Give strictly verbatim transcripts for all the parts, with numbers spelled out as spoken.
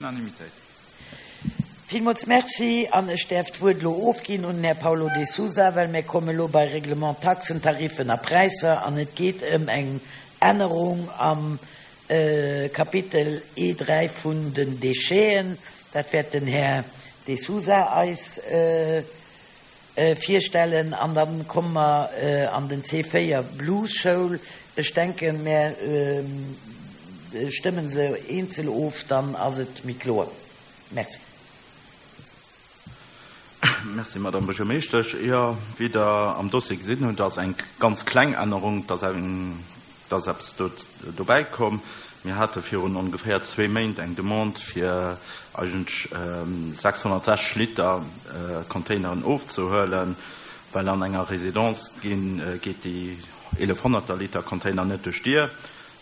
Unanimitéit. Villmools Merci an ech däerf d'Wuert elo ofginn un den Här Paulo de Sousa, well mir komme elo bei Règlement Taxen, Tariffen a Präisser an et geet ëm eng Ännerung am Kapitel E dräi vun den Décheten. Dat wäert den Här de Sousa eis virstellen. An da komme mer an den C véier, Blues-Schoul. Ech denken, mär stëmmen se eenzel of, dann ass et méi kloer. Merci. Merci, Madame Buergermeeschtesch. Jo, wéi Der am Dossier gesinn hutt, ass eng ganz kleng Ännerung, et ass eng, et ass eppes do dobäi komm. Mir hate virun ongeféier zwee Méint eng Demande, fir eigentlech sechshonnertsechzeg Liter Containeren ofzehuelen, well an enger Résidence ginn, geet déi eelefhonnerter Liter Container net duerch d'Dier.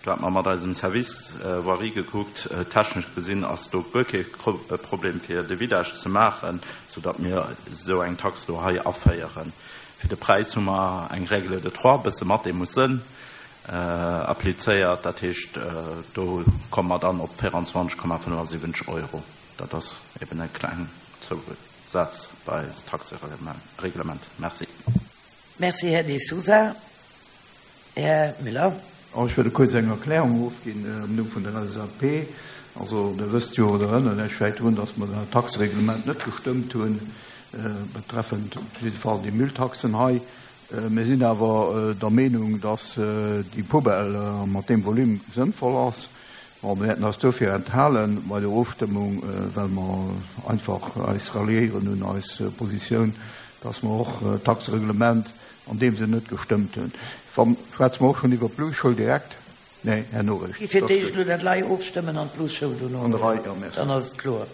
Do hate mer mat eisem Service Voirie gekuckt. Technesch gesinn ass do guer kee Problem, fir de Vidage ze maachen, soudatt mir esou eng Tax do hei aféieren. Fir de Präis hu mer eng Règle de trois, e bësse Mathé muss sënn, applizéiert. Dat heescht, do komme mer dann op véieranzwanzeg Komma fënnefasiwwenzeg Euro. Dat ass eben e kleng Zousaz bei eist Taxereglement. Merci. Merci, Här De Sousa. Här Müller. Ech wëll kuerz eng Erklärung ofginn am Numm vun der L S A P. Also Der wësst jo oder erënnert lech vläicht drun, dass mer dat Taxereglement net gestëmmt hunn, betreffend op jidde Fall déi Mülltaxen hei. Mir sinn awer der Meenung, dass déi Poubelle mat deem Volume sënnvoll ass. Bon, mir wäerten eis dofir enthalen bei der Ofstëmmung, well mer einfach eis ralliéieren un eis Positioun, dass mer och d'Taxereglement an deem Sënn net gestëmmt hunn. Schwätze mer och schonn iwwer d'Blues-Schoul direkt? Nee, herno eréischt. Fir d'éischt elo dat lei ofstëmmen an d'Blues-Schoul dono. An der Rei, jo, merci. Dann ass et kloer.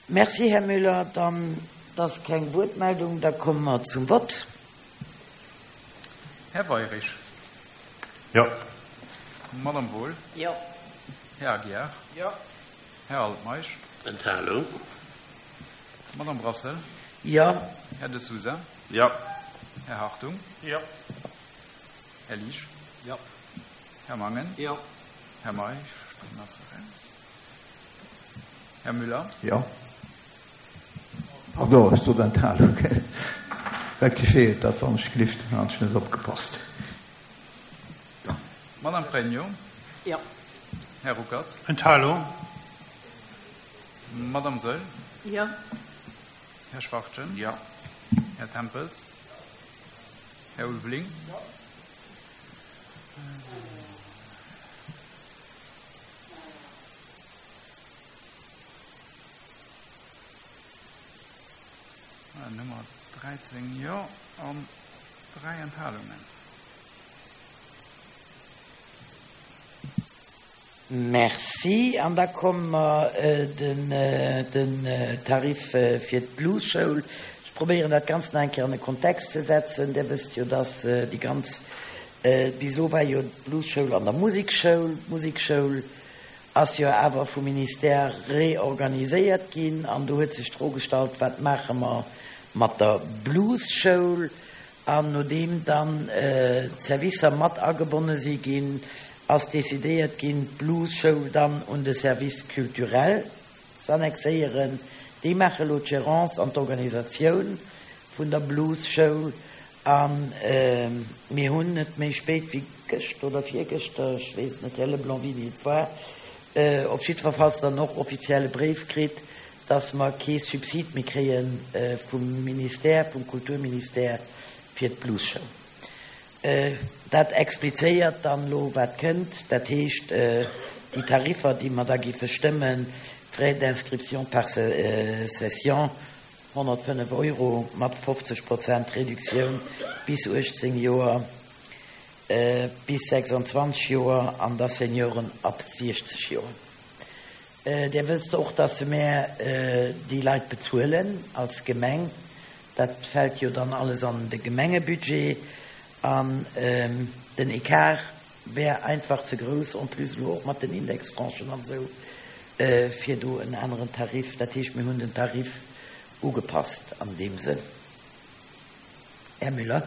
Merci, Här Müller. Dann ass keng Wuertmeldung. Da komme mer zum Vott. Här Weirich. Jo. Madame Wohl. Jo. Här Aguiar. Jo. Här Altmeisch. Enthalung. Madame Brassel. Jo. Här De Sousa. Jo. Här Hartung. Jo. Här Liesch. Jo. Här Mangen. Jo. Här Meisch, deen ass eraus. Här Müller. Jo. Pardon, ech sot Enthalung. Rectifiéiert dat, wann ech gelift, dann hat ech net opgepasst. Madame Pregno. Jo. Här Ruckert. Enthalung. Madame Saeul. Jo. Här Schwachtgen. Jo. Här Tempels. Här Ulveling. Jo. Nummer dräizéng Jo an dräi Enthalungen. Merci. An da komme mer den den Tarif fir d'Blues-Schoul. Ech probéieren dat Ganzt nach eng Kéier an e Kontext ze setzen. Dir wësst jo, dass déi ganz, bis elo war jo d'Blues-Schoul an der Musekschoul. D'Musekschoul ass jo awer vum Ministère reorganiséiert ginn an do huet sech d'Fro gestallt, wat maache mer mat der Blues-Schoul? An nodeem dann d'Servicer mat agebonne si ginn, ass decidéiert ginn, d'Blues-Schoul dann un de Service culturel z'annexéieren. Déi maache elo d'Gérance an d'Organisatioun vun der Blues-Schoul. A mir hunn net méi spéit wéi gëschter oder virgëschter, ech weess et net, Här Leblanc, wéini et war, op jiddwerfalls dann och offiziell e Bréif kritt, dass mer kee Subsid méi kréie vum Ministère, vum Kulturministère fir d'Blues-Schoul. Dat explizéiert dann elo, wat kënnt. Dat heescht, déi Tariffer, déi mer da géife stëmmen, Frais d'inscription par session, honnertfënnef Euro mat fofzeg Prozent Reduktioun bis uechtzéng Joer, bis sechsanzwanzeg Joer an da Senioren ab siechzeg Joer. Dir wësst och, dass mär déi Leit bezuelen als Gemeng. Dat fält jo dann alles an de Gemengebudget an den Ecart wär einfach ze grouss, en plus elo och mat den Indextranchen an esou, fir do en aneren Tarif. Dat heescht, mir hunn den Tarif ugepasst an deem Sënn. Här Müller.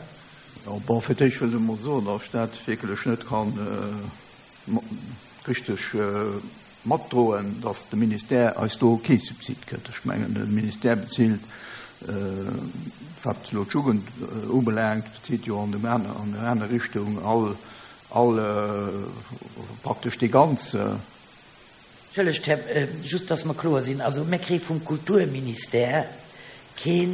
Jo, bon, fir d'éischt wëll ech emol soen, datt ech dat wierklech net kann richteg matdroen, dass de Ministère eis do kee Subsid gëtt. Ech mengen, de Ministère bezilt, wat elo d'Jugend ubelaangt, bezilt jo an der aner Richtung all, all praktesch déi ganz. Entschëllegt, Här, just dass mer kloer sinn, also mir kréie vum Kulturministère kee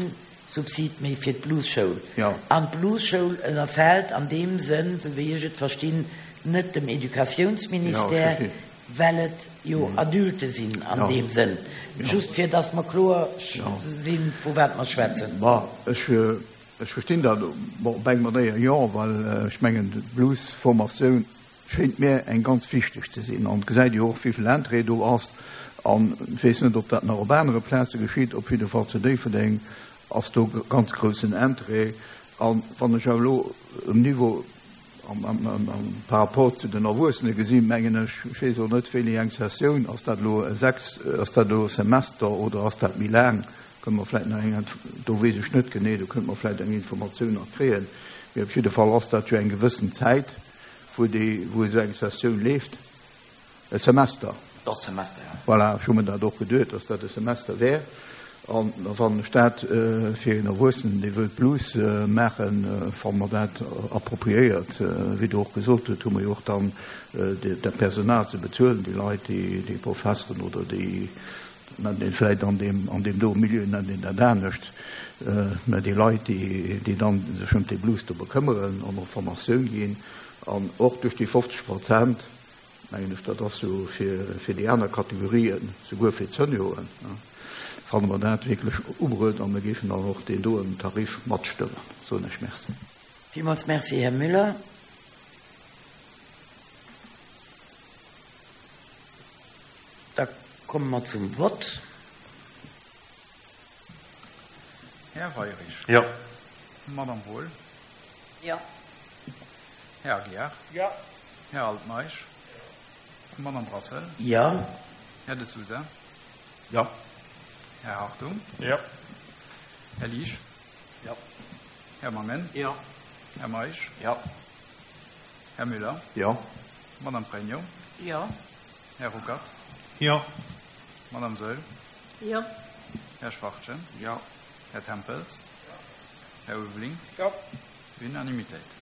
Subsid méi fir d'Bluesschoul. An d'Bluesschoul ënnerfält an deem Sënn, esou wéi ech et verstinn, net dem Educatiounsministère, well et jo Adulte sinn an deem Sënn. Just fir dass mer kloer sinn, vu wat mer schwätzen. Bon, ech, ech verstinn dat, bon, op eng Manéier jo, well ech mengen, d'Bluesformatioun schéint mir eng ganz wichteg ze sinn. An et gesäit jo och, wéi vill Interêt do ass. An ech weess net, ob dat nach op anere Plaze geschitt, op jidde Fall zu Déifferdeng ass do ganz groussen Interêt. An wann ech awer elo um Niveau par rapport zu den Erwuessene gesinn, mengen ech, ech weess och net, wéini eng Sessioun, ass dat elo e sechs, ass dat elo e Semester oder ass dat méi laang, kënne mer vläicht nach eng, do weess ech net genee, do kënnte mer vläicht eng Informatioun nach kréien. Mee op jidde Fall ass dat jo eng gewëssen Zäit, wou déi, wou esou eng Sessioun leeft. E Semester. Et ass Semester, jo. Voilà, ech hu mer dat och geduet, dass dat e Semester wär. An da fannen ech dat fir een Erwuessenen, dee wëllt Blues maachen, fanne mer dat appropriéiert. Wéi Der och gesot hutt, hu mer jo och dann dat Personal ze bezuelen, déi Leit, déi Professeren oder déi, dat nennt een vläicht an deem, an deem do Milieu nennt een dat anescht, mä déi Leit, déi, déi dann sech ëm dee Blues do bekëmmeren an och Formatioun ginn. An och duerch déi fofzeg Prozent, mengen ech, dat ass jo fir, fir déi aner Kategorien, souguer fir d'Senioren, fanne mer dat wierklech ubruet a mir géifen dann och deen doen Tarif matstëmmen. Soen ech Merci. Villmools Merci, Här Müller. Da komme mer zum Vott. Här Weirich. Jo. Madame Wohl. Jo. Här Aguiar. Jo. Här Altmeisch. Madame Brassel. Jo. Här De Sousa. Jo. Här Hartung. Jo. Här Liesch. Jo. Här Mangen. Jo. Här Meisch. Jo. Här Müller. Jo. Madame Pregno. Jo. Här Ruckert. Jo. Madame Saeul. Jo. Här Schwachtgen. Jo. Här Tempels. Här Ulveling. Jo. Unanimitéit.